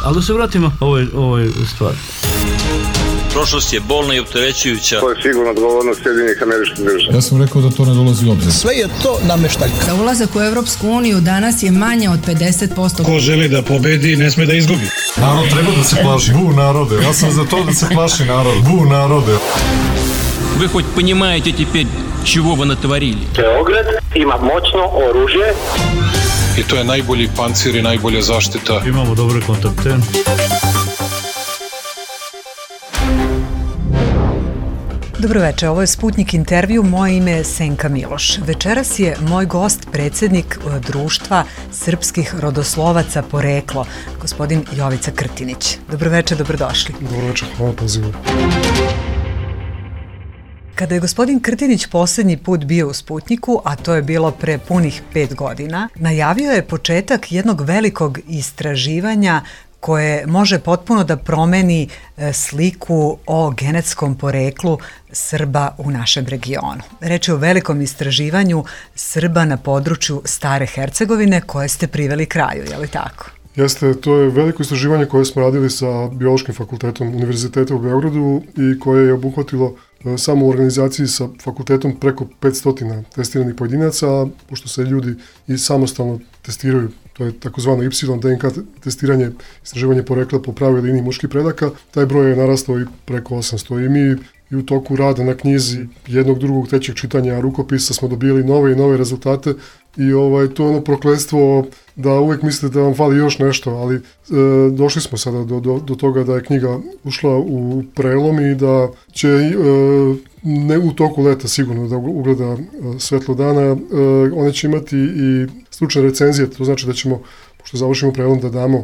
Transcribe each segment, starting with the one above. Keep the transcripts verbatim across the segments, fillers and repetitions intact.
Ali da se vratimo ovoj, ovoj stvari. Prošlost je bolna i opterećujuća. To je sigurno odgovornost Sjedinjenih Američkih Država. Ja sam rekao da to ne dolazi u obzir. Sve je to nameštaljka. Za ulazak u Evropsku uniju danas je manje od pedeset posto. Ko želi da pobedi, ne sme da izgubi. Narod treba da se plaši. Bu narode. Ja sam za to da se plaši narod. Bu narode. Вы хоть понимаете теперь, чего вы натворили? Beograd ima moćno oružje. I to je najbolji pancir i najbolja zaštita. Imamo dobre kontakte. Dobroveče, ovo je Sputnik intervju, moje ime je Senka Miloš. Večeras je moj gost predsjednik Društva srpskih rodoslovaca Poreklo, gospodin Jovica Krtinić. Dobroveče, dobrodošli. Dobroveče, hvala pozivu. Kada je gospodin Krtinić posljednji put bio u Sputniku, a to je bilo pre punih pet godina, najavio je početak jednog velikog istraživanja koje može potpuno da promeni sliku o genetskom poreklu Srba u našem regionu. Reč je o velikom istraživanju Srba na području Stare Hercegovine koje ste priveli kraju, je li tako? Jeste, to je veliko istraživanje koje smo radili sa Biološkim fakultetom Univerziteta u Beogradu i koje je obuhvatilo samo u organizaciji sa fakultetom preko petsto testiranih pojedinaca, pošto se ljudi i samostalno testiraju. To je takozvano Y D N K testiranje, istraživanje porekla po pravoj liniji muških predaka. Taj broj je narastao i preko osamsto i mi i u toku rada na knjizi jednog, drugog, trećeg čitanja rukopisa smo dobili nove i nove rezultate i ovaj, to je ono prokletstvo da uvek mislite da vam fali još nešto, ali e, došli smo sada do, do, do toga da je knjiga ušla u prelom i da će e, ne u toku leta sigurno da ugleda e, svetlo dana. E, one će imati i stručne recenzije, to znači da ćemo, pošto završimo prelom, da damo e,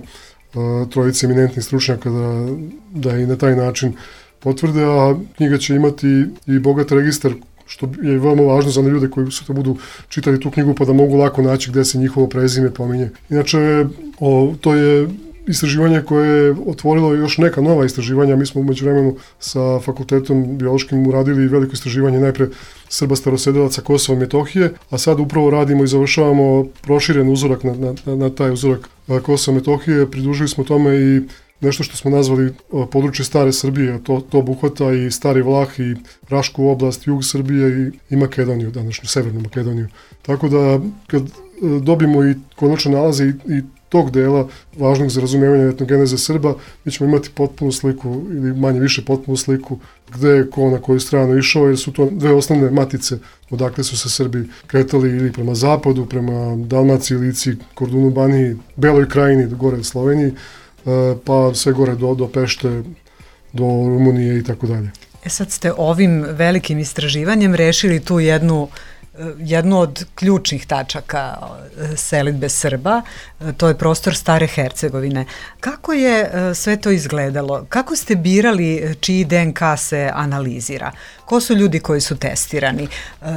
trojice eminentnih stručnjaka da, da i na taj način potvrde, a knjiga će imati i bogat registar, što je veoma važno za ljude koji sutra budu čitali tu knjigu pa da mogu lako naći gde se njihovo prezime pominje. Inače, o, to je istraživanje koje je otvorilo još neka nova istraživanja. Mi smo umeđu vremenu sa fakultetom biološkim uradili veliko istraživanje najpre Srba starosedelaca Kosova i Metohije, a sad upravo radimo i završavamo proširen uzorak na, na, na taj uzorak Kosova i Metohije. Pridružili smo tome i nešto što smo nazvali područje Stare Srbije, to, to obuhvata i Stari Vlah i Rašku oblast, jug Srbije i, i Makedoniju, današnju Severnu Makedoniju. Tako da kad dobimo i konačno nalaze i, i tog dela važnog za razumijevanje etnogeneze Srba, mi ćemo imati potpunu sliku ili manje više potpunu sliku gde je ko na koju stranu išao, jer su to dve osnovne matice odakle su se Srbi kretali ili prema zapadu, prema Dalmaciji, Lici, Kordunu, Baniji, Beloj krajini, gore Sloveniji, pa sve gore do, do Pešte, do Rumunije i tako dalje. E sad ste ovim velikim istraživanjem rešili tu jednu, jednu od ključnih tačaka selidbe Srba, to je prostor Stare Hercegovine. Kako je sve to izgledalo? Kako ste birali čiji D N K se analizira? Ko su ljudi koji su testirani?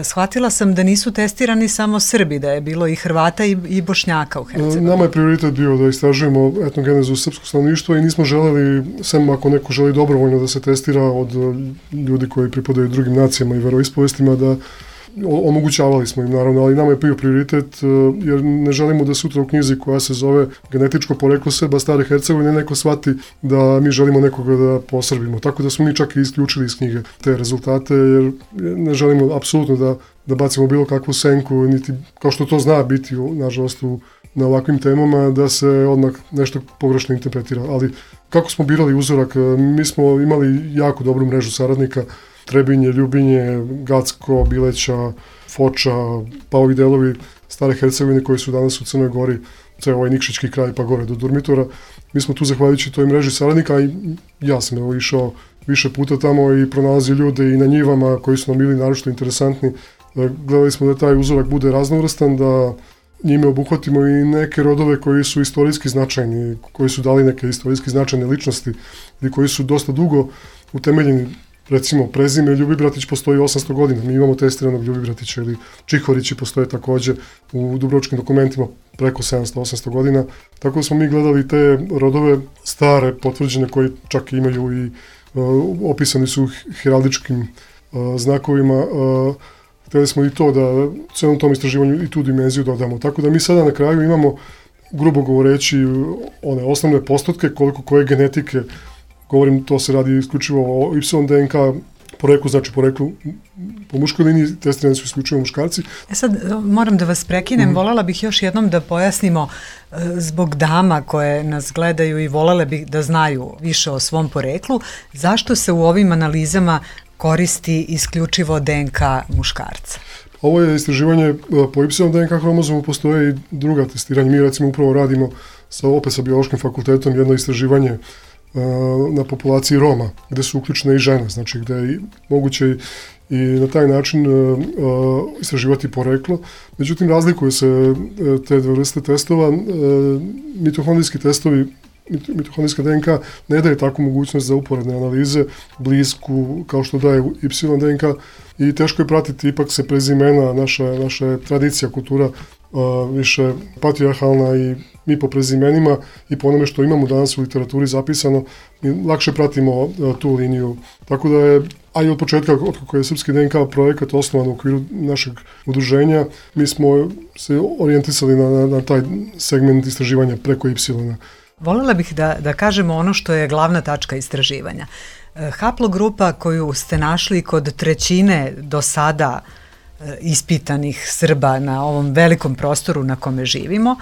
Shvatila sam da nisu testirani samo Srbi, da je bilo i Hrvata i, i Bošnjaka u Hercegovini. Nama je prioritet bio da istražujemo etnogenezu srpskog stanovništva i nismo želeli, sem ako neko želi dobrovoljno da se testira od ljudi koji pripadaju drugim nacijama i veroispovestima, da omogućavali smo im naravno, ali nama je bio prioritet jer ne želimo da sutra u knjizi koja se zove Genetičko poreklo Srba Stare Hercegovine neko shvati da mi želimo nekoga da posrbimo. Tako da smo mi čak i isključili iz knjige te rezultate jer ne želimo apsolutno da, da bacimo bilo kakvu senku, niti kao što to zna biti nažalost u, na ovakvim temama da se odmah nešto pogrešno interpretira. Ali kako smo birali uzorak, mi smo imali jako dobru mrežu saradnika, Trebinje, Ljubinje, Gacko, Bileća, Foča, pa ovi delovi Stare Hercegovine koji su danas u Crnoj Gori, ceo ovaj Nikšićki kraj pa gore do Durmitora. Mi smo tu zahvaljujući toj mreži saradnika i ja sam evo išao više puta tamo i pronalazio ljude i na njivama koji su nam bili naročito interesantni. Gledali smo da taj uzorak bude raznovrstan, da njime obuhvatimo i neke rodove koji su istorijski značajni, koji su dali neke istorijski značajne ličnosti ili koji su dosta dugo utemeljeni. Recimo, prezime Ljubibratić postoji osamsto godina, mi imamo testiranog Ljubibratića, ili Čihorići postoje takođe u dubrovačkim dokumentima preko sedamsto osamsto godina. Tako da smo mi gledali te rodove stare, potvrđene, koji čak imaju i uh, opisani su heraldičkim uh, znakovima. Uh, hteli smo i to da u celom tom istraživanju i tu dimenziju dodamo. Tako da mi sada na kraju imamo grubo govoreći one osnovne postotke, koliko koje genetike, govorim, to se radi isključivo o Y D N K poreklu, znači poreklu po muškoj liniji, testirani su isključivo muškarci. E sad, moram da vas prekinem, mm-hmm. voljela bih još jednom da pojasnimo e, zbog dama koje nas gledaju i voljela bih da znaju više o svom poreklu, zašto se u ovim analizama koristi isključivo D N K muškarca? Ovo je istraživanje po Y D N K hromozomu, postoje i druga testiranja. Mi recimo upravo radimo sa, opet sa biološkim fakultetom jedno istraživanje na populaciji Roma, gde su uključene i žene, znači gde je moguće i na taj način istraživati poreklo. Međutim, razlikuju se te dve vrste testova. Mitohondrijski testovi, mitohondrijska D N K ne daje takvu mogućnost za uporedne analize, blisku, kao što daje Y D N K, i teško je pratiti, ipak se prezimena, naša, naša tradicija, kultura više patrijarhalna i mi po prezimenima i po onome što imamo danas u literaturi zapisano, mi lakše pratimo tu liniju. Tako da je, a i od početka, od kako je Srpski D N K projekat osnovan u okviru našeg udruženja, mi smo se orijentisali na, na, na taj segment istraživanja preko Y. Voljela bih da, da kažemo ono što je glavna tačka istraživanja. Haplogrupa koju ste našli kod trećine do sada ispitanih Srba na ovom velikom prostoru na kome živimo,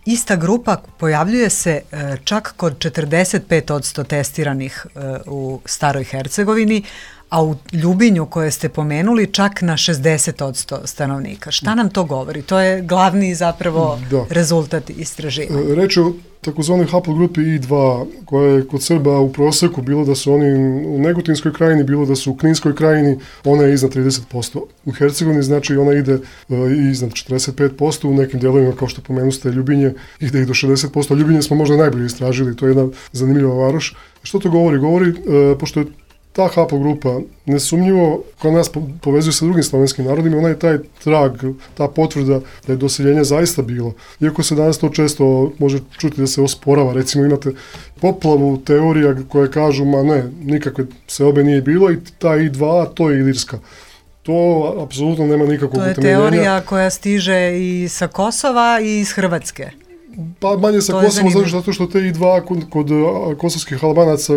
ista grupa pojavljuje se čak kod četrdeset pet posto testiranih u Staroj Hercegovini, a u Ljubinju koje ste pomenuli čak na šezdeset posto stanovnika. Šta nam to govori? To je glavni zapravo da. rezultat istraživanja. Reč je o takozvanoj haplogrupi I dva, koja je kod Srba u proseku, bilo da su oni u Negotinskoj krajini, bilo da su u Kninskoj krajini, ona je iznad trideset posto. U Hercegovini znači ona ide i iznad četrdeset pet posto, u nekim delovima, kao što pomenuste, Ljubinje ide i do šezdeset posto. Ljubinje smo možda najbolje istražili, to je jedna zanimljiva varoš. Što to govori? Govori, pošto je ta haplogrupa nesumnjivo koja nas povezuje sa drugim slovenskim narodima, ona je taj trag, ta potvrda da je doseljenje zaista bilo. Iako se danas to često može čuti da se osporava, recimo imate poplavu teorija koje kažu, ma ne, nikakve seobe nije bilo i ta I dva, to je Ilirska. To apsolutno nema nikakvog utemeljenja. To je teorija koja stiže i sa Kosova i iz Hrvatske. Pa manje sa Kosova, zato što te I dva kod, kod kosovskih Albanaca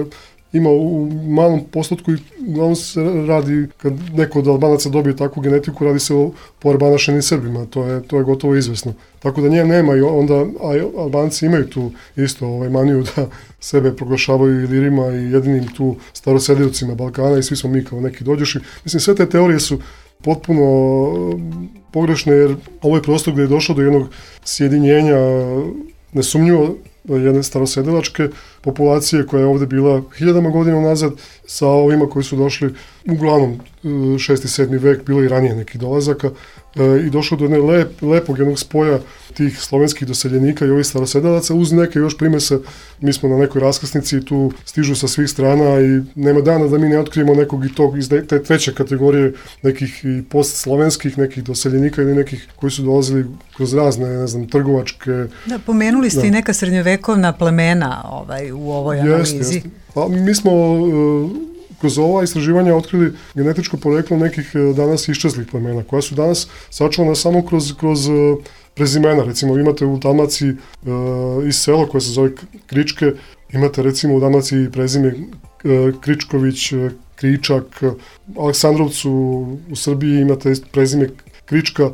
ima u malom postotku i uglavnom se radi, kad neko od Albanaca dobije takvu genetiku, radi se o poarbanašenim Srbima, to je, to je gotovo izvesno. Tako da nje nema i onda, a Albanci imaju tu isto ovaj maniju da sebe proglašavaju Ilirima i jedinim tu staroseljevcima Balkana i svi smo mi kao neki dođoši. Mislim, sve te teorije su potpuno pogrešne, jer ovo je prostor gdje je došlo do jednog sjedinjenja nesumnjivo jedne starosedilačke populacije koja je ovdje bila hiljadama godina nazad sa ovima koji su došli uglavnom šesti sedmi vek, bilo i ranije nekih dolazaka e, i došlo do jedne lep, lepog jednog spoja tih slovenskih doseljenika i ovih starosedalaca uz neke još primese. Mi smo na nekoj raskrsnici i tu stižu sa svih strana i nema dana da mi ne otkrijemo nekog i tog iz te treće kategorije nekih i postslovenskih nekih doseljenika ili nekih koji su dolazili kroz razne, ne znam, trgovačke. Da, pomenuli ste da. i neka srednjovekovna plemena ovaj, u ovoj analizi. Jeste, jeste. Pa mi smo uh, kroz ova istraživanja otkrili genetičko poreklo nekih uh, danas iščezlih plemena, koja su danas sačuvana samo kroz, kroz uh, prezimena. Recimo, imate u Dalmaciji uh, iz sela koje se zove Kričke, imate recimo u Dalmaciji prezime uh, Kričković, uh, Kričak, uh, Aleksandrovcu u Srbiji imate prezime Krička uh,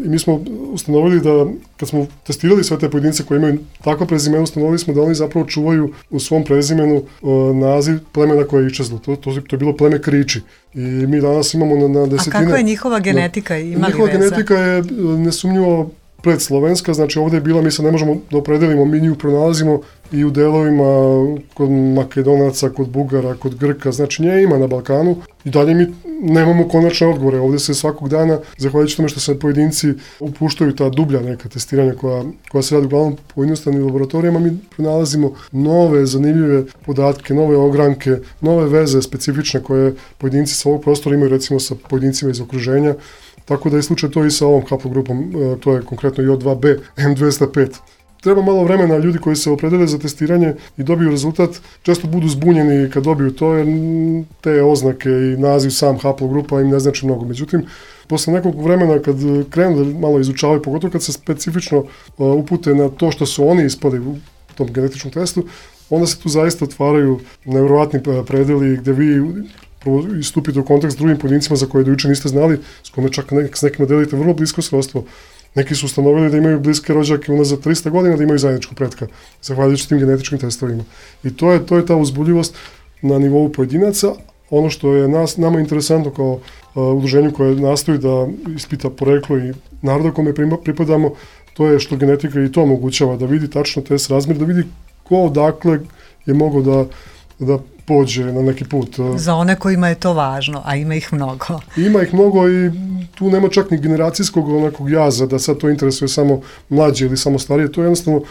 i mi smo ustanovili da kad smo testirali sve te pojedince koji imaju takva prezimena, ustanovili smo da oni zapravo čuvaju u svom prezimenu uh, naziv plemena koje je iščezlo. To, to, to je bilo pleme Kriči. I mi danas imamo na, na desetine... A kakva je njihova genetika? Ima njihova veza? Genetika je nesumnjivo predslovenska, znači ovdje je bila, mi se ne možemo da opredelimo, mi nju pronalazimo i u delovima kod Makedonaca, kod Bugara, kod Grka, znači nje ima na Balkanu i dalje mi nemamo konačne odgovore. Ovdje se svakog dana, zahvaljujući tome što se pojedinci upuštaju ta dublja neka testiranja koja, koja se radi uglavnom po jednostavnim laboratorijama, mi pronalazimo nove zanimljive podatke, nove ogranke, nove veze specifične koje pojedinci sa ovog prostora imaju recimo sa pojedincima iz okruženja. Tako da je slučaj to i sa ovom haplogrupom, to je konkretno I O dva B M dvesta pet. treba malo vremena, ljudi koji se opredele za testiranje i dobiju rezultat, često budu zbunjeni kad dobiju to, jer te oznake i naziv sam haplogrupa im ne znači mnogo. Međutim, posle nekog vremena kad krenu da malo izučavaju, pogotovo kad se specifično upute na to što su oni ispali u tom genetičkom testu, onda se tu zaista otvaraju nevjerovatni predeli gde vi prvo istupite u kontakt s drugim pojedincima za koje do juče niste znali, s kome čak nek, s nekima delite vrlo blisko srodstvo. Neki su ustanovili da imaju bliske rođake unazad trista godina, da imaju zajedničku pretka, zahvaljujući tim genetičkim testovima. I to je, to je ta uzbudljivost na nivou pojedinaca. Ono što je nas, nama interesantno kao uh, udruženju koje nastoji da ispita poreklo i naroda kome pripadamo, to je što genetika i to omogućava, da vidi tačno te srazmjer, da vidi ko odakle je mogao da, da pođe na neki put. Za one kojima je to važno, a ima ih mnogo. Ima ih mnogo i tu nema čak ni generacijskog onakog jaza da sad to interesuje samo mlađe ili samo starije. To je jednostavno,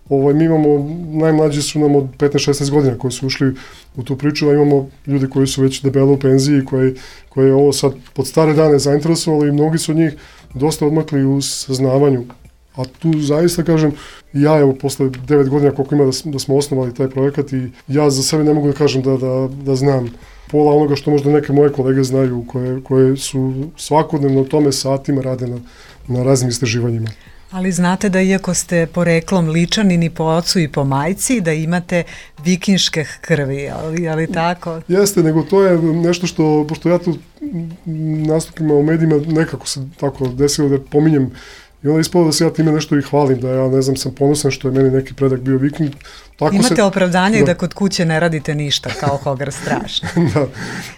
ovaj, mi imamo, najmlađi su nam od petnaest šesnaest godina koji su ušli u tu priču, a imamo ljudi koji su već debelo u penziji, koji, koji je ovo sad pod stare dane zainteresovali i mnogi su od njih dosta odmakli u saznavanju. A tu zaista kažem, ja evo posle devet godina koliko ima da, da smo osnovali taj projekat i ja za sebe ne mogu da kažem da, da, da znam pola onoga što možda neke moje kolege znaju koje, koje su svakodnevno o tome satima rade na, na raznim istraživanjima. Ali znate da iako ste poreklom Ličanin po ocu i po majci, da imate vikinške krvi, ali, ali tako? Jeste, nego to je nešto što, pošto ja tu nastupima u medijima nekako se tako desilo da pominjem i onda ispalo da se ja time nešto i hvalim, da ja ne znam, sam ponosan što je meni neki predak bio viking. Tako Imate se, opravdanje da. da kod kuće ne radite ništa, kao Hogar strašno. da.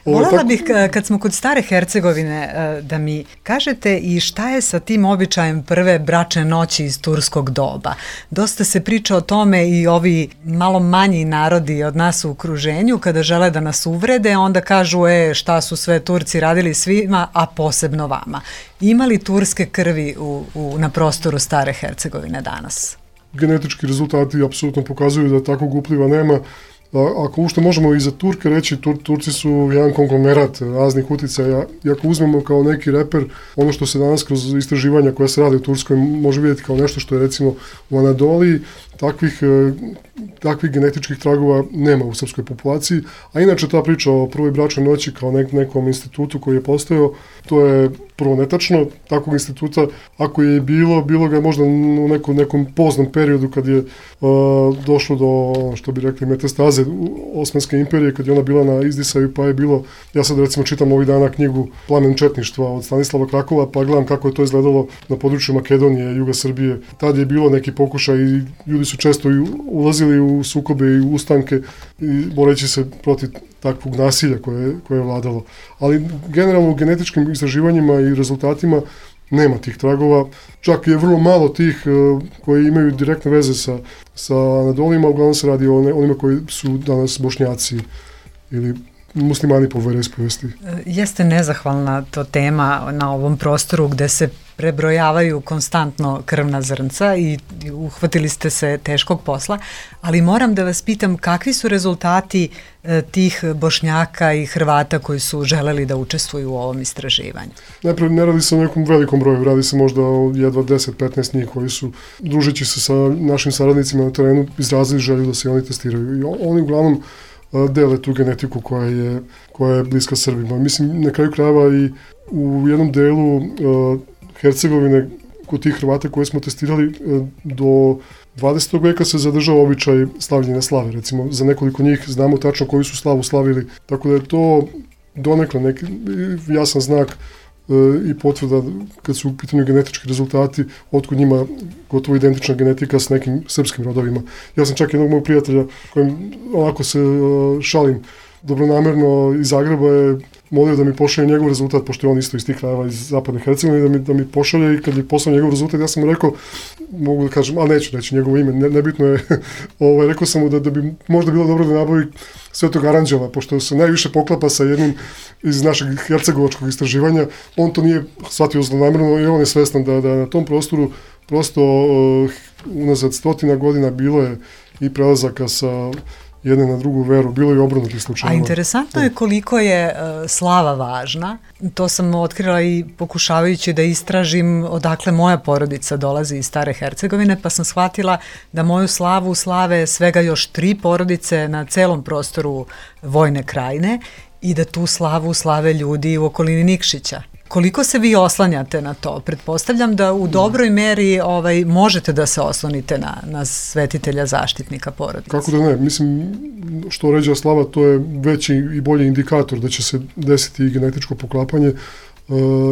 Volela tako... bih, kad smo kod stare Hercegovine, da mi kažete i šta je sa tim običajem prve bračne noći iz turskog doba. Dosta se priča o tome i ovi malo manji narodi od nas u okruženju, kada žele da nas uvrede, onda kažu, e, šta su sve Turci radili svima, a posebno vama. Ima li turske krvi u, u, na prostoru stare Hercegovine danas? Genetički rezultati apsolutno pokazuju da takvog upliva nema. Ako ušte možemo i za Turke reći, Tur, Turci su jedan konglomerat raznih uticaja. I ako uzmemo kao neki reper, ono što se danas kroz istraživanja koja se rade u Turskoj može vidjeti kao nešto što je recimo u Anadoliji, takvih, takvih genetičkih tragova nema u srpskoj populaciji. A inače ta priča o prvoj bračnoj noći kao nek, nekom institutu koji je postojao, to je prvo netačno. Takvog instituta, ako je bilo, bilo ga možda u nekom, nekom poznom periodu kad je uh, došlo do, što bi rekli, metastaze Osmanske imperije, kad je ona bila na izdisaju, pa je bilo, ja sad recimo čitam ovih dana knjigu Plamen četništva od Stanislava Krakova, pa gledam kako je to izgledalo na području Makedonije, Juga Srbije. Tad je bilo neki pokušaj i ljudi su često ulazili u sukobe i u ustanke i boreći se protiv takvog nasilja koje, koje je vladalo. Ali generalno u genetičkim istraživanjima i rezultatima nema tih tragova. Čak je vrlo malo tih uh, koji imaju direktne veze sa, sa Anadolima, uglavnom se radi o ne, onima koji su danas Bošnjaci ili muslimani po veroispovesti. Jeste nezahvalna to tema na ovom prostoru gde se prebrojavaju konstantno krvna zrnca i uhvatili ste se teškog posla, ali moram da vas pitam kakvi su rezultati e, tih Bošnjaka i Hrvata koji su želeli da učestvuju u ovom istraživanju? Najprije ne radi se o nekom velikom broju, radi se možda o jedva deset do petnaest njih koji su, družeći se sa našim saradnicima na terenu, izrazili želju da se oni testiraju. I oni uglavnom dele tu genetiku koja je, koja je bliska Srbima. Mislim, na kraju krajeva i u jednom delu uh, Hercegovine kod tih Hrvata koje smo testirali uh, do dvadesetog veka se zadržao običaj slavljenja slave. Recimo, za nekoliko njih znamo tačno koju su slavu slavili, tako da je to donekle neki jasan znak i potvrda kad su u pitanju genetički rezultati, otkud njima gotovo identična genetika s nekim srpskim rodovima. Ja sam čak jednog mojeg prijatelja kojim onako se šalim dobronamerno iz Zagreba je molio da mi pošalje njegov rezultat, pošto je on isto iz tih krajeva iz zapadne Hercegovine, da mi, da mi pošalje i kad je poslao njegov rezultat, ja sam mu rekao, mogu da kažem, a neću reći njegovo ime, ne, nebitno je, ovaj, rekao sam mu da, da bi možda bilo dobro da nabavi Svetog Aranđela, pošto se najviše poklapa sa jednim iz našeg hercegovačkog istraživanja, on to nije shvatio zlonamerno i on je svestan da, da na tom prostoru prosto uh, unazad stotina godina bilo je i prelazaka sa jedne na drugu veru, bilo je obrnutih slučajeva. A interesantno je koliko je uh, slava važna. To sam otkrila i pokušavajući da istražim odakle moja porodica dolazi iz Stare Hercegovine, pa sam shvatila da moju slavu slave svega još tri porodice na celom prostoru Vojne Krajine i da tu slavu slave ljudi u okolini Nikšića. Koliko se vi oslanjate na to? Pretpostavljam da u dobroj meri ovaj, možete da se oslonite na, na svetitelja zaštitnika porodice. Kako da ne? Mislim, što ređa slava, to je veći i bolji indikator da će se desiti i genetičko poklapanje. E,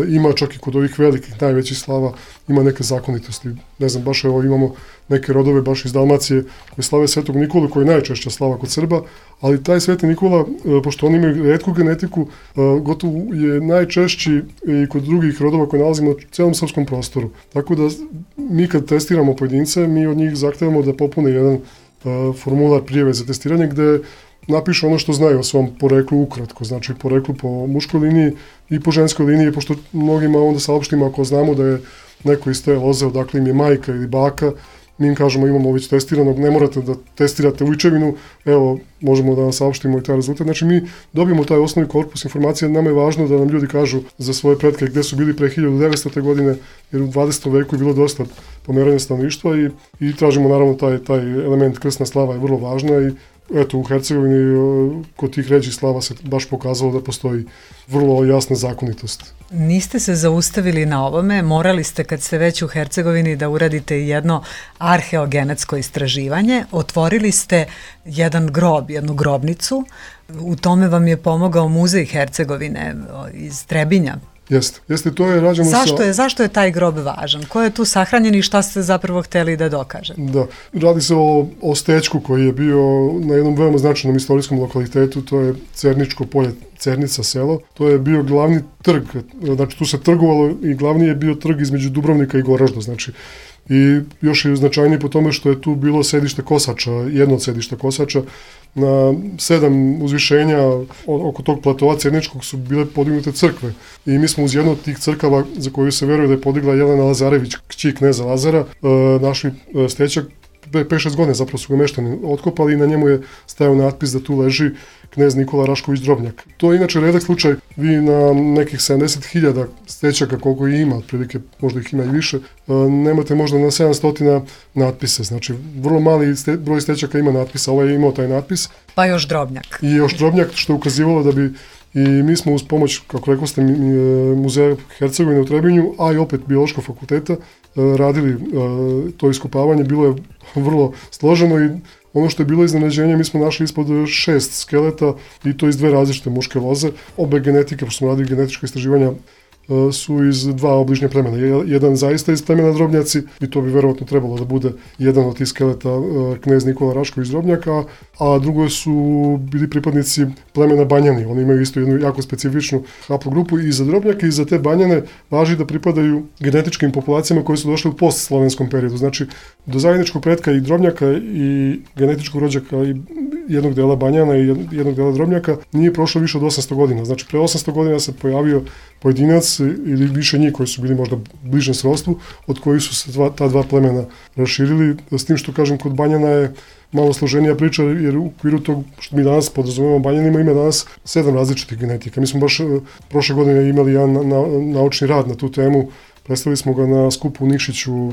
ima čak i kod ovih velikih, najvećih slava, ima neke zakonitosti. Ne znam, baš evo imamo neke rodove baš iz Dalmacije koje slave Svetog Nikolu, koji je najčešća slava kod Srba, ali taj Sveti Nikola, pošto oni imaju retku genetiku, gotovo je najčešći i kod drugih rodova koje nalazimo u celom srpskom prostoru. Tako da mi kad testiramo pojedince, mi od njih zahtevamo da popune jedan formular prijave za testiranje gde napišu ono što znaju o svom poreklu ukratko, znači poreklu po muškoj liniji i po ženskoj liniji, pošto mnogima onda saopštimo ako znamo da je neko iz te loze, odakle im je majka ili baka, mi im kažemo imamo već testiranog, ne morate da testirate ujčevinu, evo možemo da vam saopštimo i taj rezultat. Znači mi dobijemo taj osnovni korpus informacija, nama je važno da nam ljudi kažu za svoje pretke gde su bili pre hiljadu devetstote. godine, jer u dvadesetom veku je bilo dosta pomeranja stanovništva i, i tražimo naravno taj, taj element krsna slava je vrlo važna i eto u Hercegovini kod tih ređih slava se baš pokazalo da postoji vrlo jasna zakonitost. Niste se zaustavili na ovome, morali ste kad ste već u Hercegovini da uradite jedno arheogenetsko istraživanje, otvorili ste jedan grob, jednu grobnicu, u tome vam je pomogao Muzej Hercegovine iz Trebinja. Jeste, jeste, to je rađeno zašto sa... je, zašto je taj grob važan? Ko je tu sahranjen i šta ste zapravo hteli da dokažete? Da, radi se o, o stečku koji je bio na jednom veoma značajnom istorijskom lokalitetu, to je Cerničko polje, Cernica selo. To je bio glavni trg, znači tu se trgovalo i glavni je bio trg između Dubrovnika i Goražda, znači i još je značajniji po tome što je tu bilo sedište kosača, jedno od sedišta kosača. Na sedam uzvišenja oko tog platova Cerničkog su bile podignute crkve i mi smo uz jednu od tih crkava za koju se veruje da je podigla Jelena Lazarević, kći kneza Lazara, našli stećak, pet šest godine zapravo su ga meštani otkopali i na njemu je stajao natpis da tu leži knez Nikola Rašković Drobnjak. To je inače redak slučaj, vi na nekih sedamdeset hiljada stećaka koliko i ima, otprilike možda ih ima i više, nemate možda na sedamsto natpise, znači vrlo mali ste, broj stećaka ima natpisa, ovaj je imao taj natpis. Pa još Drobnjak. I još Drobnjak, što je ukazivalo da bi i mi smo uz pomoć, kako rekao ste, Muzeja Hercegovine u Trebinju, a i opet Biološkog fakulteta, radili to iskopavanje, bilo je vrlo složeno i ono što je bilo iznenađenje, mi smo našli ispod šest skeleta i to iz dve različite muške loze. Obe genetike, pošto smo radili genetičko istraživanja, su iz dva obližnja plemena. Jedan zaista iz plemena Drobnjaci i to bi verovatno trebalo da bude jedan od tih skeleta knez Nikola Rašković Drobnjaka, a drugo su bili pripadnici plemena Banjani. Oni imaju isto jednu jako specifičnu haplogrupu i za Drobnjake i za te Banjane važi da pripadaju genetičkim populacijama koje su došle u postslovenskom periodu. Znači, do zajedničkog pretka i Drobnjaka i genetičkog rođaka i jednog dela Banjana i jednog dela Drobnjaka nije prošlo više od osamsto godina. Znači, pre osamsto godina se pojavio pojedinac ili više njih koji su bili možda bližem srodstvu, od kojih su se dva, ta dva plemena raširili, s tim što kažem kod Banjana je malo složenija priča, jer u okviru tog što mi danas podrazumemo Banjanima ima danas sedam različitih genetika. Mi smo baš prošle godine imali jedan na, na, naučni rad na tu temu, predstavili smo ga na skupu u Nikšiću,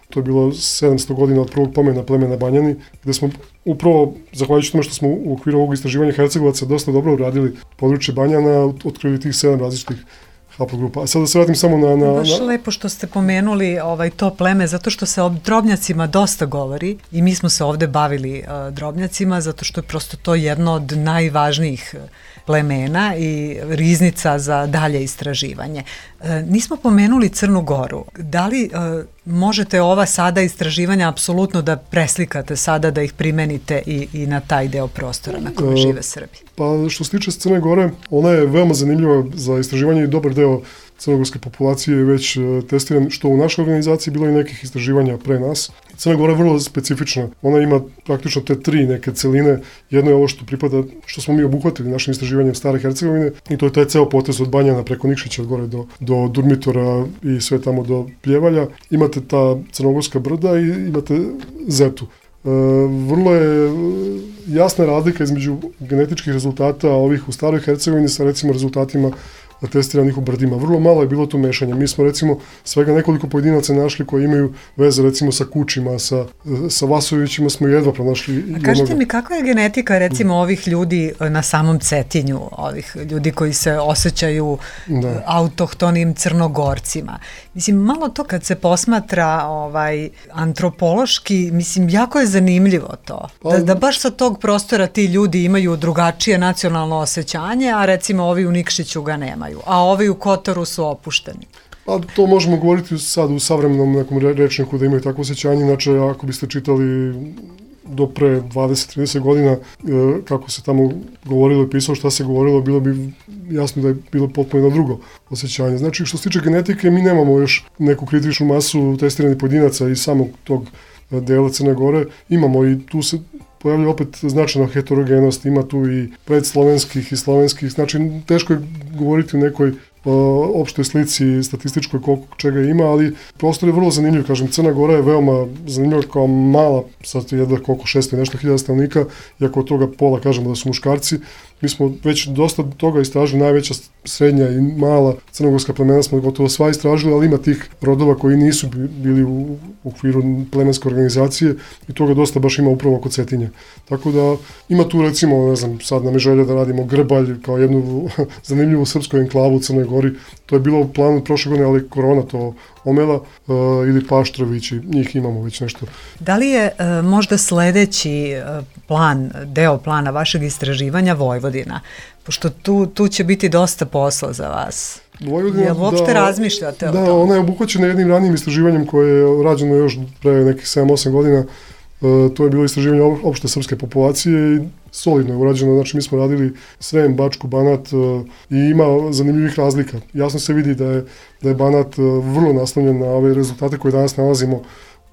to je bilo sedamsto godina od prvog pomena plemena Banjani, gde smo upravo, zahvaljujući tome što smo u okviru ovog istraživanja Hercegovaca dosta dobro uradili područje Banjana, otkrili tih sedam različitih haplogrupa. A sad da se vratim samo na... na Baš na... lepo što ste pomenuli ovaj, to pleme, zato što se o Drobnjacima dosta govori i mi smo se ovde bavili uh, Drobnjacima, zato što je prosto to jedno od najvažnijih plemena i riznica za dalje istraživanje. E, nismo pomenuli Crnu Goru. Da li e, možete ova sada istraživanja apsolutno da preslikate sada, da ih primenite i, i na taj deo prostora na kojem žive Srbi? Pa što se tiče Crne Gore, ona je veoma zanimljiva za istraživanje i dobar deo crnogorske populacije je već testiran, što u našoj organizaciji bilo i nekih istraživanja pre nas. Crna Gora je vrlo specifična. Ona ima praktično te tri neke celine. Jedno je ovo što pripada, što smo mi obuhvatili našim istraživanjem Stare Hercegovine i to je taj ceo potez od Banjana preko Nikšića od gore do, do Durmitora i sve tamo do Pljevalja. Imate ta crnogorska brda i imate Zetu. vrlo je jasna razlika između genetičkih rezultata ovih u Staroj Hercegovini sa recimo rezultatima testiranih u Brdima. Vrlo malo je bilo tu mešanja. Mi smo recimo svega nekoliko pojedinaca našli koji imaju veze recimo sa Kučima, sa, sa Vasovićima smo jedva pronašli. A kažete mi, kakva je genetika recimo ovih ljudi na samom Cetinju, ovih ljudi koji se osjećaju da. autohtonim Crnogorcima? Mislim, malo to kad se posmatra ovaj, antropološki, mislim, jako je zanimljivo to. Da, da baš sa tog prostora ti ljudi imaju drugačije nacionalno osjećanje, a recimo ovi u Nikšiću ga nemaju, a ovi u Kotoru su opušteni. Pa to možemo govoriti sad u savremenom nekom rečniku da imaju takvo osjećanje, inače ako biste čitali do pre dvadeset do trideset godina kako se tamo govorilo i pisalo šta se govorilo, bilo bi jasno da je bilo potpuno jedno drugo osjećanje. Znači što se tiče genetike, mi nemamo još neku kritičnu masu testiranih pojedinaca iz samog tog dela Crne Gore, imamo i tu se pojavljuje opet značajna heterogenost, ima tu i predslovenskih i slovenskih, znači teško je govoriti o nekoj o, opštoj slici statističkoj koliko čega ima, ali prostor je vrlo zanimljiv, kažem, Crna Gora je veoma zanimljiva kao mala, sad jedva koliko šesto i nešto hiljada stanovnika, iako od toga pola kažemo da su muškarci, mi smo već dosta toga istražili, najveća srednja i mala crnogorska plemena smo gotovo sva istražili, ali ima tih rodova koji nisu bili u okviru plemenske organizacije i toga dosta baš ima upravo oko Cetinja. Tako da ima tu recimo, ne znam, sad nam je želja da radimo Grbalj kao jednu zanimljivu srpsku enklavu u Crnoj Gori. To je bilo u planu prošle godine, ali korona to omela, uh, ili Paštrović i njih imamo već nešto. Da li je uh, možda sledeći uh, plan, deo plana vašeg istraživanja Vojvodina? Pošto tu, tu će biti dosta posla za vas. Vojvodina, Jel uopšte da, razmišljate o da, tom? Da, ona je obuhvaćena jednim ranijim istraživanjem koje je rađeno još pre nekih sedam osam godina. Uh, to je bilo istraživanje opšte srpske populacije i solidno je urađeno, znači mi smo radili Srem, Bačku, Banat uh, i ima zanimljivih razlika. Jasno se vidi da je, da je Banat uh, vrlo naslonjen na ove rezultate koje danas nalazimo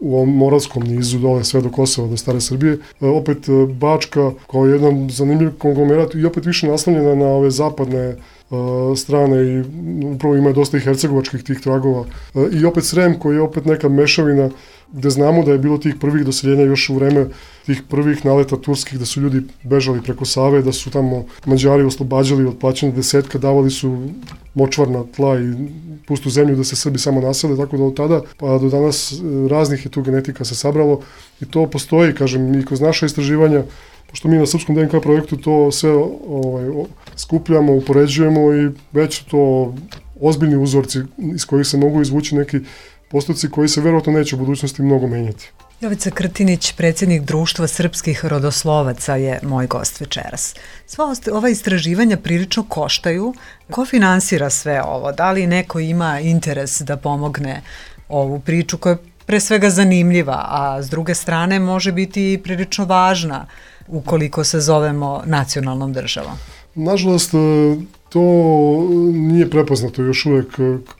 u ovom moravskom nizu dole sve do Kosova, do Stare Srbije. Uh, opet uh, Bačka kao jedan zanimljiv konglomerat i opet više naslonjena na ove zapadne Uh, strane i upravo ima dosta i hercegovačkih tih tragova. Uh, I opet Srem koji je opet neka mešavina gde znamo da je bilo tih prvih doseljenja još u vreme tih prvih naleta turskih, da su ljudi bežali preko Save, da su tamo Mađari oslobađali od plaćanja desetka, davali su močvarna tla i pustu zemlju da se Srbi samo nasele, tako da od tada pa do danas raznih je tu genetika se sabralo i to postoji, kažem, i kroz naše istraživanja, pošto mi na Srpskom D N K projektu to sve ovaj, skupljamo, upoređujemo i već to ozbiljni uzorci iz kojih se mogu izvući neki postoci koji se verovatno neće u budućnosti mnogo menjati. Jovica Krtinić, predsjednik Društva srpskih rodoslovaca, je moj gost večeras. Sva ova istraživanja prilično koštaju. Ko finansira sve ovo? Da li neko ima interes da pomogne ovu priču koja je pre svega zanimljiva, a s druge strane može biti i prilično važna ukoliko se zovemo nacionalnom državom? Nažalost, to nije prepoznato još uvek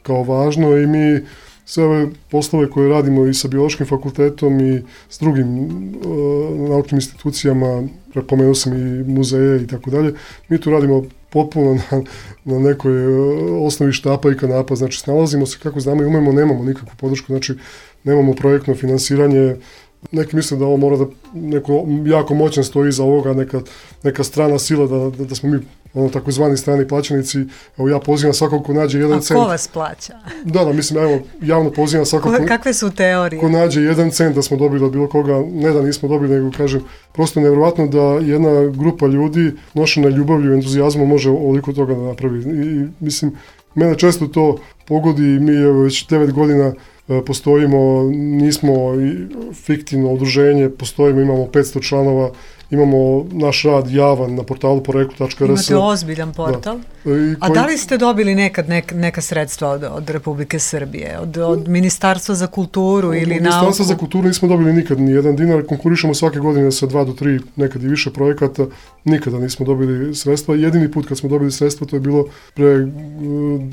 kao važno i mi sve ove poslove koje radimo i sa biološkim fakultetom i s drugim uh, naučnim institucijama, prepomenuo sam i muzeje i tako dalje, mi tu radimo potpuno na, na nekoj uh, osnovi štapa i kanapa, znači snalazimo se kako znamo i umemo, nemamo nikakvu podršku, znači nemamo projektno finansiranje. Neki misle da ovo mora da neko jako moćan stoji iza ovoga, neka, neka strana sila, da, da, da smo mi ono takozvani strani plaćenici. Evo ja pozivam svakog ko nađe jedan cent. A ko vas plaća? Da, da, mislim, evo, javno pozivam svakog ko, kakve su teorije? Ko nađe jedan cent da smo dobili od bilo koga, ne da nismo dobili, nego kažem, prosto nevjerovatno da jedna grupa ljudi nošena ljubavlju i entuzijazmom može ovoliko toga da napravi. I, mislim, mene često to pogodi, mi evo već devet godina postojimo, nismo fiktivno udruženje, postojimo, imamo petsto članova, imamo naš rad javan na portalu poreklo tačka r s. Imate ozbiljan portal. Da. Koji... A da li ste dobili nekad neka, neka sredstva od, od Republike Srbije, od, od Ministarstva za kulturu od ili nauku? Od Ministarstva za kulturu nismo dobili nikad ni jedan dinar, konkurišemo svake godine sa dva do tri, nekad i više projekata, nikada nismo dobili sredstva. Jedini put kad smo dobili sredstva to je bilo pre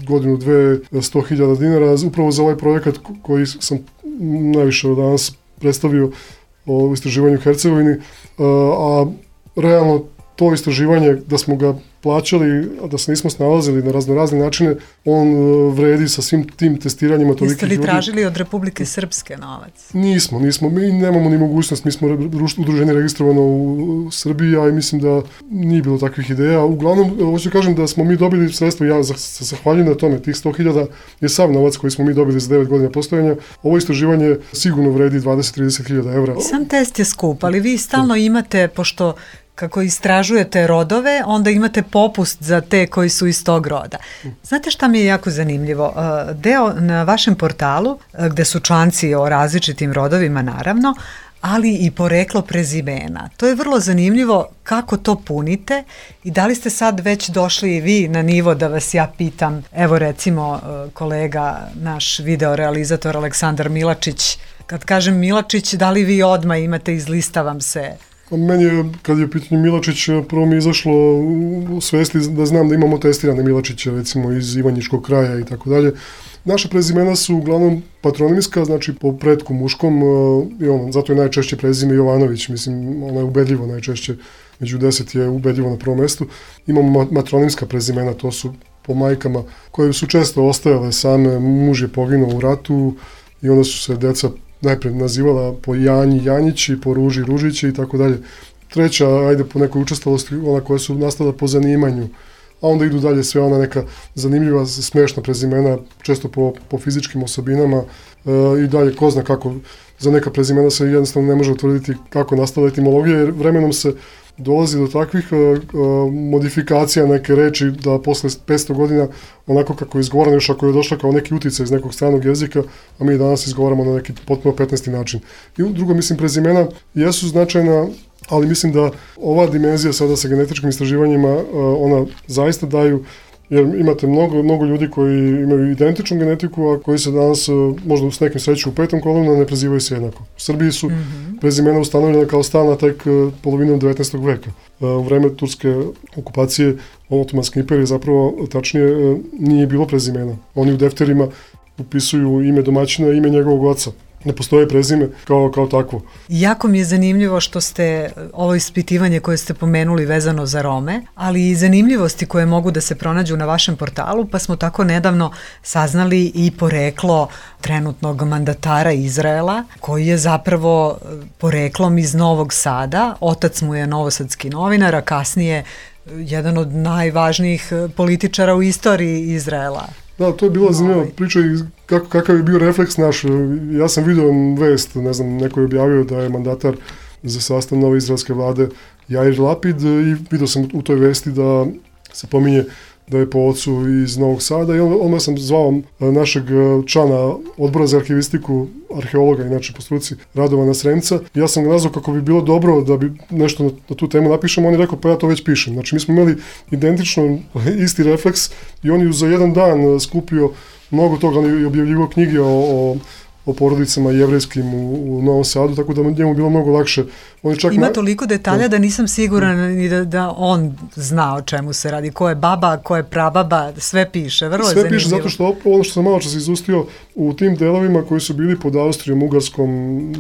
godinu, dve, sto hiljada dinara, upravo za ovaj projekat koji sam najviše danas predstavio o istraživanju Hercegovini, a realno to istraživanje, da smo ga plaćali, a da se nismo snalazili na raznorazne načine, on vredi sa svim tim testiranjima tolikih ljudi. Jeste li tražili od Republike Srpske novac? Nismo, nismo. Mi nemamo ni mogućnost. Mi smo udruženje registrovano u Srbiji, a i mislim da nije bilo takvih ideja. Uglavnom, hoću kažem da smo mi dobili sredstvo, ja se zahvaljujem na tome, tih sto hiljada je sav novac koji smo mi dobili za devet godina postojanja. Ovo istraživanje sigurno vredi dvadeset do trideset hiljada evra. Sam test je skup, ali vi stalno imate, pošto kako istražujete rodove, onda imate popust za te koji su iz tog roda. Znate šta mi je jako zanimljivo? Deo na vašem portalu, gde su članci o različitim rodovima naravno, ali i poreklo prezimena. To je vrlo zanimljivo kako to punite i da li ste sad već došli i vi na nivo da vas ja pitam, evo recimo kolega, naš videorealizator Aleksandar Milačić, kad kažem Milačić, da li vi odmah imate, izlistavam se? Meni je, kad je pitanje Milačić, prvo mi je izašlo u svesti da znam da imamo testirane Milačiće, recimo iz Ivanjičkog kraja i tako dalje. Naše prezimena su uglavnom patronimska, znači po pretku muškom, i ono, zato je najčešće prezime Jovanović, mislim, ono je ubedljivo najčešće, među deset je ubedljivo na prvom mestu. Imamo matronimska prezimena, to su po majkama, koje su često ostajale same, muž je poginuo u ratu i onda su se deca najpre nazivala po Janji Janjići, po Ruži Ružići i tako dalje. Treća, ajde po nekoj učestalosti, ona koja su nastala po zanimanju, a onda idu dalje sve ona neka zanimljiva, smešna prezimena, često po, po fizičkim osobinama e, i dalje ko zna kako, za neka prezimena se jednostavno ne može utvrditi kako nastala etimologija, jer vremenom se dolazi do takvih uh, uh, modifikacija neke reči da posle petsto godina onako kako je izgovorano, još ako je došla kao neki uticaj iz nekog stranog jezika, a mi danas izgovaramo na neki potpuno petnaesti način. I drugo, mislim, prezimena jesu značajna, ali mislim da ova dimenzija sada sa genetičkim istraživanjima, uh, ona zaista daju, jer imate mnogo, mnogo ljudi koji imaju identičnu genetiku, a koji se danas možda s nekim sreću u petom kolonu ne prezivaju se jednako. U Srbiji su mm-hmm. prezimena ustanovljena kao stalna tek polovinom devetnaestog veka. U vreme turske okupacije Otomanske imperije zapravo tačnije nije bilo prezimena. Oni u defterima upisuju ime domaćina i ime njegovog oca. Ne postoje prezime kao, kao takvo. Jako mi je zanimljivo što ste ovo ispitivanje koje ste pomenuli vezano za Rome, ali i zanimljivosti koje mogu da se pronađu na vašem portalu, pa smo tako nedavno saznali i poreklo trenutnog mandatara Izraela, koji je zapravo poreklom iz Novog Sada. Otac mu je novosadski novinar, a kasnije jedan od najvažnijih političara u istoriji Izraela. Da, to je bila zanimljiva priča i kako, kakav je bio refleks naš. Ja sam vidio vest, ne znam, neko je objavio da je mandatar za sastav nove izraelske vlade Jair Lapid i vidio sam u toj vesti da se pominje da je po ocu iz Novog Sada i onda sam zvao našeg člana odbora za arhivistiku, arheologa, inače po struci, Radovana Sremca. Ja sam ga nazvao kako bi bilo dobro da bi nešto na, na tu temu napišemo, on je rekao pa ja to već pišem. Znači mi smo imali identično isti refleks i on je za jedan dan skupio mnogo toga, on je objavljivao knjige o, o o porodicama jevrejskim u, u Novom Sadu, tako da njemu bilo mnogo lakše. On je čak Ima na... toliko detalja da nisam siguran ni da, da on zna o čemu se radi, ko je baba, ko je prababa, sve piše, vrlo sve je zanimljivo. Sve piše zato što ono što sam malo čas izustio u tim delovima koji su bili pod Austrijom, Ugarskom,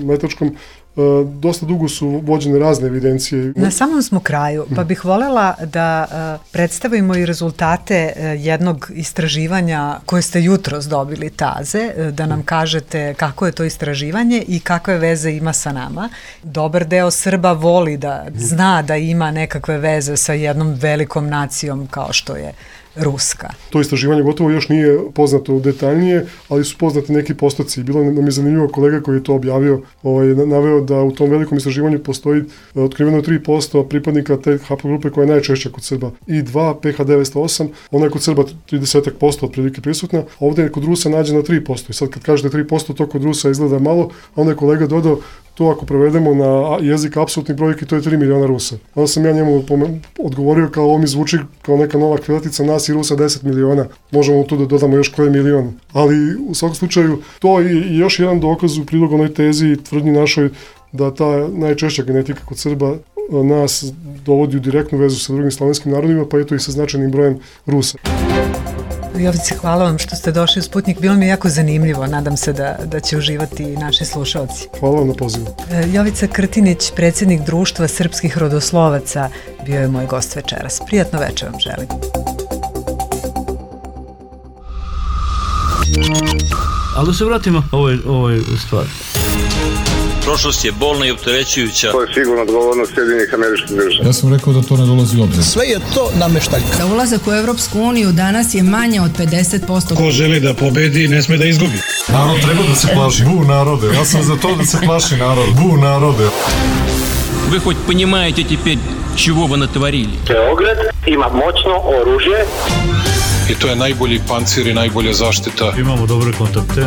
Metačkom, Uh, dosta dugo su vođene razne evidencije. Na samom smo kraju, pa bih voljela da uh, predstavimo i rezultate uh, jednog istraživanja koje ste jutros dobili taze, uh, da nam kažete kako je to istraživanje i kakve veze ima sa nama. Dobar deo Srba voli da zna da ima nekakve veze sa jednom velikom nacijom kao što je Ruska. To istraživanje gotovo još nije poznato detaljnije, ali su poznati neki postoci. Bilo nam je zanimljivo kolega koji je to objavio, ovaj, naveo da u tom velikom istraživanju postoji otkriveno tri posto pripadnika te haplogrupe koja je najčešća kod Srba. I dva, P H devetsto osam, ona je kod Srba trideset posto otprilike prisutna, a ovdje je kod Rusa nađena tri posto. I sad kad kažete tri posto, to kod Rusa izgleda malo, a onda je kolega dodao to ako prevedemo na jezik apsolutnih brojki, to je tri miliona Rusa. Onda sam ja njemu odgovorio kao ovo mi zvuči kao neka nova krilatica, nas i Rusa deset miliona, možemo tu da dodamo još koje milion. Ali u svakom slučaju to je i još jedan dokaz u prilog onoj tezi i tvrdnji našoj da ta najčešća genetika kod Srba nas dovodi u direktnu vezu sa drugim slavenskim narodima, pa eto i sa značajnim brojem Rusa. Jovice, hvala vam što ste došli u Sputnik. Bilo mi je jako zanimljivo. Nadam se da, da će uživati i naši slušalci. Hvala vam na pozivu. Jovica Krtinić, predsjednik Društva srpskih rodoslovaca, bio je moj gost večeras. Prijatno večer vam želim. Ali da se vratimo ovoj, ovoj stvari. Prošlost je bolna i opterećujuća. To je sigurno odgovornost Sjedinjenih Američkih Država. Ja sam rekao da to ne dolazi u obzir. Sve je to nameštaljka. Za ulazak u Evropsku uniju danas je manje od pedeset posto. Ko želi da pobedi, ne sme da izgubi. Narod treba da se plaši. Bu narode, ja sam za to da se plaši narod. Bu narode. Вы хоть понимаете теперь, чего вы натворили? Beograd ima moćno oružje. I to je najbolji pancir i najbolja zaštita. Imamo dobre kontakte.